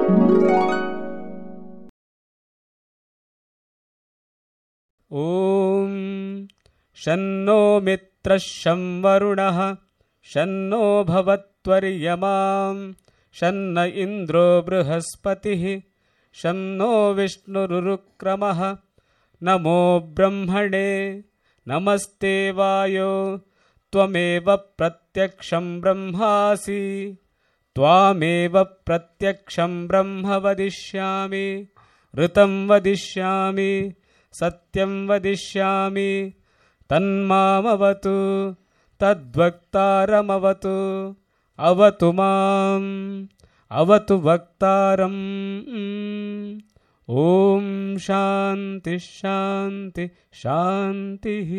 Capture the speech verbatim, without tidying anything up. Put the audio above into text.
ॐ शन्नो मित्रः शं वरुणः शन्नो भवत्वर्यमां शन्न इन्द्रो बृहस्पतिः शन्नो विष्णुरुक्रमः नमो ब्रह्मणे नमस्ते वायो त्वमेव प्रत्यक्षं ब्रह्मासि त्वामेव प्रत्यक्षं ब्रह्म वदिष्यामि ऋतं वदिष्यामि सत्यं वदिष्यामि तन्मामवतु तद्वक्तारमवतु अवतु माम् अवतु वक्तारम् ॐ शान्ति शान्ति शान्तिः।